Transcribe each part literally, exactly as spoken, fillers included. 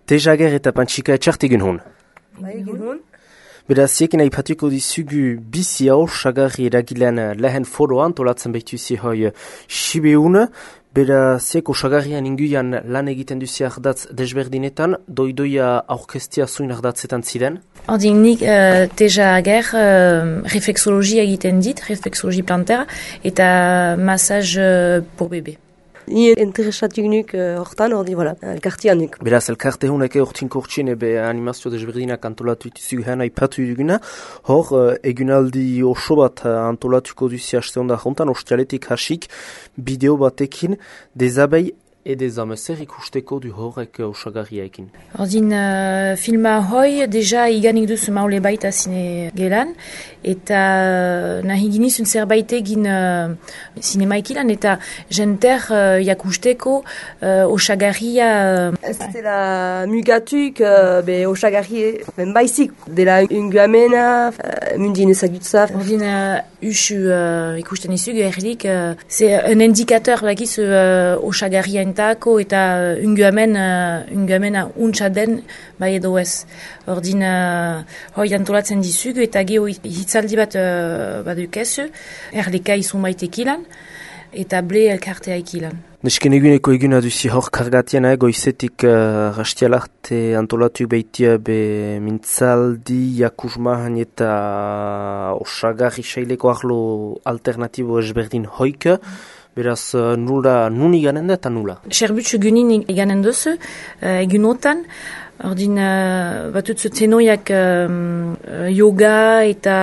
Tejager eta Pantxika etxart egun hon. Bai, egun hon. Beraz, ziekin aipatuko dizugu bizi hau, sagarri eragilean lehen foroan, tolatzen behituzi hoi Sibeun. Beraz, zieko sagarrian inguian lan egiten duzi ardatz desberdinetan, doidoia aurkestia zuin ardatzetan ziren? Ordin nik uh, Tejager uh, reflexologia egiten dit, reflexologi plantera, eta massage uh, pour bébé. Ni interesatuk nuk hortan, uh, ordi, voilà, elkartian nuk. Beraz, elkarte honek hortin kortsin ebe animazio desberdinak antolatu dituzu gana ipatu duguna. Hor, uh, egunaldi oso bat uh, antolatuko duzi haste honda jontan, ostialetik hasik, bideo batekin, dezabei edezame zer ikusteko du horrek osagarriaekin. Ordin uh, filma hoi, deja iganik duzu maule baita zine gelan, eta uh, nahi ginizun zerbait egin uh, zinemaikilan, eta jenter uh, jakusteko uh, osagarria... Uh, Ez dela mugatuk, uh, be osagarri ben baizik, dela unguamena, uh, mundin ezagutza. Ordin uh, usu uh, ikusten izugu erlik, uh, c'est un indicateur bakizu uh, osagarria entako eta uh, unguamen, uh, unguamena untsa den bai edo ez. Ordin uh, hoi antolatzen dizugu eta geho hitzaldi bat uh, badukezu, erleka izun baitekilan, eta ble elkartea ikilan. Nesken eguneko eguna duzi hor kargatien, eh, goizetik uh, rastialarte antolatu behitia be mintzaldi, jakusmahan eta osagarri saileko arlo alternatibo ezberdin hoik. Beraz, uh, nula, nun iganen da eta nula? Serbutsu gunin iganen duzu, uh, egunotan. Ordin, uh, batutzu tenoiak um, yoga eta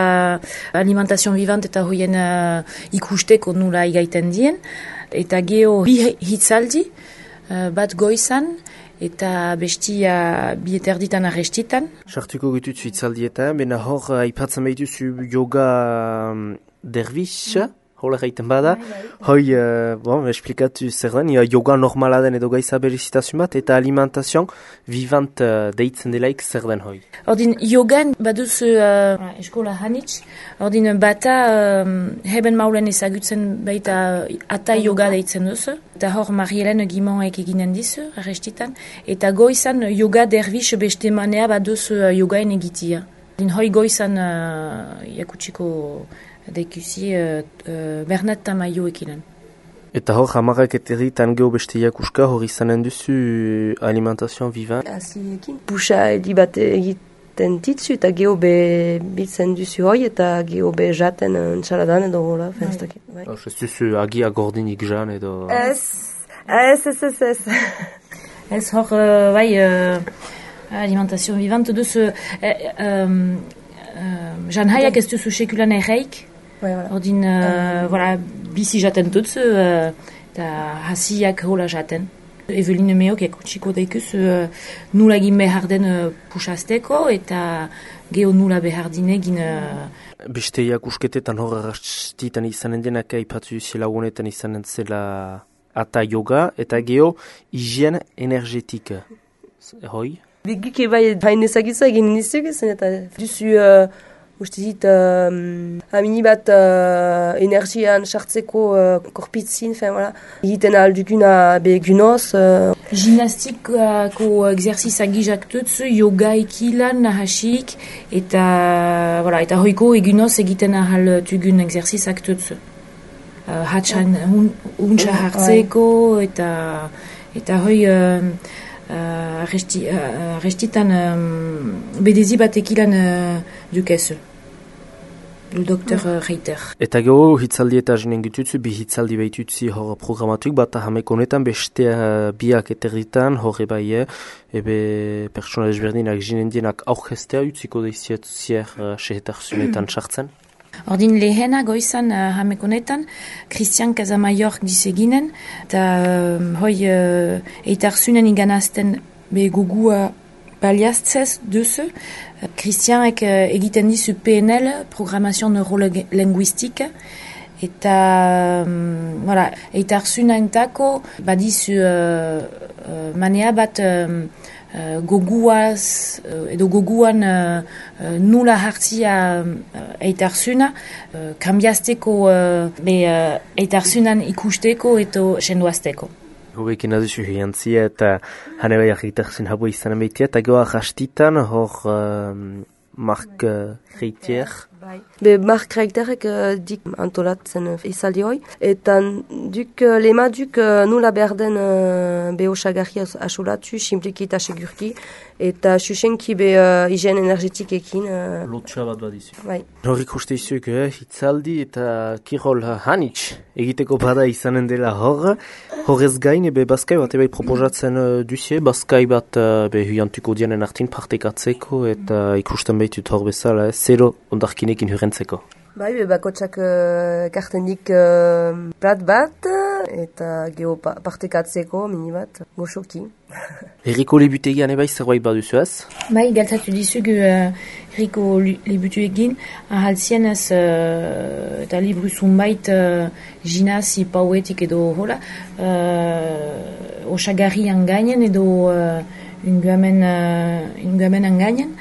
alimentation vivant eta hoien uh, ikusteko nula igaiten dien. Eta geho bi hitzaldi, uh, bat goizan, eta bestia bi eterditan arrestitan. Sartuko gututzu hitzaldietan, bena hor aipatzen behituzu yoga um, dervish, hola gaiten bada. Hoi, uh, bon, esplikatu zer den, yoga normala den edo gaiza berizitazun bat, eta alimentation vivant uh, deitzen delaik zer den hoi. Ordin, yogan baduzu uh, eskola hanitz, ordin bata uh, heben maulen ezagutzen baita ata yoga deitzen duzu, eta hor Marielen Gimonek eginen dizu, arrestitan, eta goizan yoga dervish beste manea baduzu uh, yogaen egitia. Ordin, hoi goizan uh, jakutsiko deikusi uh, uh, Bernat Tamayo ekilan. Eta hor, hamarrak eterritan geho beste jakuska hor izanen duzu alimentation vivant. Aziekin, puxa edi bat egiten ditzu eta geho be biltzen duzu hoi eta geho be jaten ntxaladan edo hola, fenstakit. Bai. Ez duzu agia gordinik jan edo... Ez, ez, ez, ez, ez. Ez hor, uh, bai, uh, alimentation vivant duzu... Uh, um, uh, jan haiak ez duzu sekulan erreik. Ouais, voilà. Ordin, uh, um, voilà, bizi jaten tutsu, uh, eta hasiak hola jaten. Eveline meok ekutsiko daikuz uh, nula egin behar den uh, pusazteko, eta geho nula behar dinegin... Uh, Beste jakusketetan hor arrastitan izanen denak aipatu zela honetan izanen zela ata yoga, eta geho higien energetik. Hoi? Begike bai hain ezagitza egin nizuk, zen eta duzu... Uh, Uste dit, uh, amini bat uh, energian sartzeko uh, korpitzin, fin, voilà. Egiten alduguna begunoz. Uh. Gimnastikako exerzizak gizak tutsu, yoga ikilan nahasik, eta, voilà, eta hoiko egunoz egiten ahal tugun exerzizak tutsu. Uh, Hatsan untsa hartzeko, eta, eta hoi... Uh, Uh, resti, uh, restitan um, bedezi batekilan uh, dukezu. Le doktor uh, Reiter. Eta geho hitzaldi eta jinen gitutzu, bi hitzaldi behitutzi hor programatuk, bat hameko honetan beste uh, biak eterritan, horre bai, ebe pertsona ezberdinak jinen dienak aurkestea utziko deiziet zier uh, sehetarzunetan sartzen. Ordin lehena goizan uh, hamekonetan, Christian Casamayor diseginen, eta um, hoi uh, eitarzunen iganazten be gugua baliaztzez duzu. Uh, Christianek uh, egiten dizu P N L, Programmation Neurolinguistique, eta um, voilà, eitarzunaintako badizu uh, uh, manea bat... Um, Uh, goguaz, uh, edo goguan uh, uh, nula hartzia uh, eitarzuna, uh, kambiazteko uh, be uh, eitarzunan ikusteko eto sendoazteko. Hubekin aduzu hiantzia eta hane bai argitarzen habo izan amaitia, eta goa rastitan hor um, Mark uh, Reitier. Be Mark Reiterek uh, dik antolatzen uh, izaldi hoi, eta duk uh, lema duk uh, nula berden uh, be osagarri asolatu, simpliki eta segurki, eta susenki be uh, higiene energetikekin. Uh, Lotsa bat bat izu. Bai. Horrik uste izuk, eh, hitzaldi eta kirol hanitz egiteko bada izanen dela hor. Horrez gain, ebe bazkai bat ebai proposatzen uh, duzie, bazkai bat uh, be huiantuko dianen artin partekatzeko eta ikusten behitut hor bezala, eh, zero ondarkinekin hurentzeko. Bai, be bakotsak uh, kartenik uh, plat bat eta geho pa partekatzeko mini bat, goxoki. Erriko libutegian ebai zerbait baduzu ez? Bai, galtzatu dizugu uh, Erriko libutegian ahaltzien ez uh, eta libru zunbait uh, jinazi pauetik edo hola uh, osagarrian gainen edo uh, unguamen uh, unguamen gainen.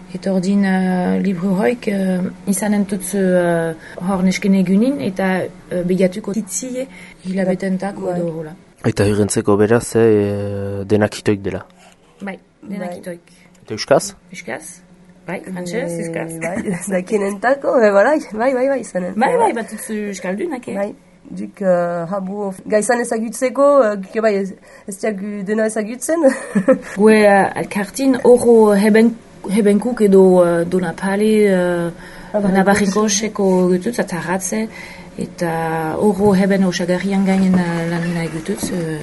Eta ordin uh, libru hoik uh, izanen tutzu uh, hor nesken egunin eta uh, begatuko titzie hilabetentako edo hola. Eta hurentzeko beraz, eh, denakitoik dela. Bai, denakitoik. Eta euskaz? Euskaz? Bai, frantzez, euskaz. Bai, dakinentako, bai, bai, bai, bai, izanen. Bai, bai, bat tutzu euskaldunak, eh? Bai. Duk uh, habu gaizan ezagutzeko, uh, bai, ez, ez diak dena ezagutzen. Gue uh, alkartin oro heben Hebenkuk edo uh, Donapale, uh, Nabarrinkoseko gututz, ataratze, eta oro heben osagarrian gainen lan nahi gututz, uh,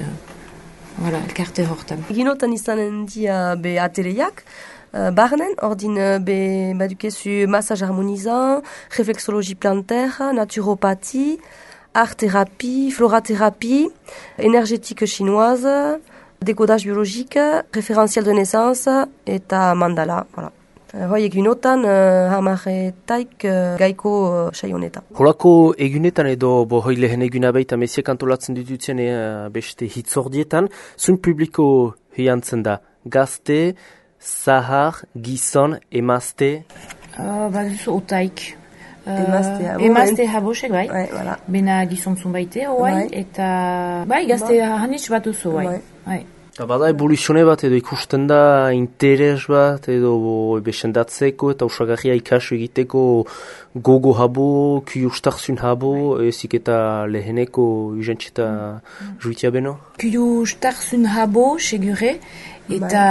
voilà, elkarte hortan. Ginotan izanen dia be ateleiak, uh, barnen, ordin uh, be badukezu massage harmonizant, reflexologie plantaire, naturopathie, art-thérapie, florathérapie, énergétique chinoise, décodage biologique, référentiel de naissance eta mandala, voilà. Hoi egunotan uh, hamaretaik uh, gaiko uh, sai honetan. Holako egunetan edo bo hoi lehen eguna baita mesiak antolatzen ditutzen uh, beste hitzordietan, zun publiko hiantzen da gazte, zahar, gizon, emazte? Uh, Baduzu otaik. Emazte habo. Emazte habosek, bai. Bai, voilà. Bena gizontzun baite, oai, eta bai, gazte hanitz bat duzu, bai. Bai. Eta bada evoluzione bat edo ikusten da interes bat edo besendatzeko eta usagarria ikasu egiteko gogo habo, kiustarzun habo, ezik eta leheneko ujentzita juitia beno? Kiustarzun habo, segure, eta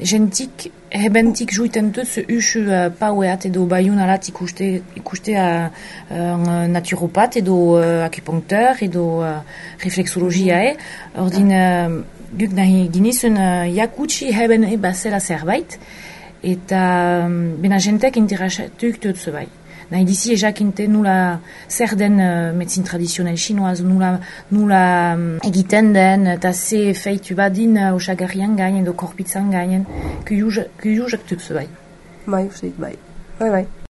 jentik, hebentik juiten dut usu uh, paueat edo baiunalat ikuste, ikuste uh, uh, naturopat edo uh, akupunkteur edo uh, reflexologia, eh? Ordin... Uh, Guk nahi ginizun uh, jakutsi heben eba zela zerbait, eta um, bena jentek interasatuk dut bai. Nahi dizi ejakinte nula zer den uh, medizin tradizional chinoaz, nula, nula um, egiten den, eta ze feitu badin uh, osagarrian gainen, edo korpitzan gainen, kuyuzak dut bai. Bai, uste dit, bai. Bai, bai.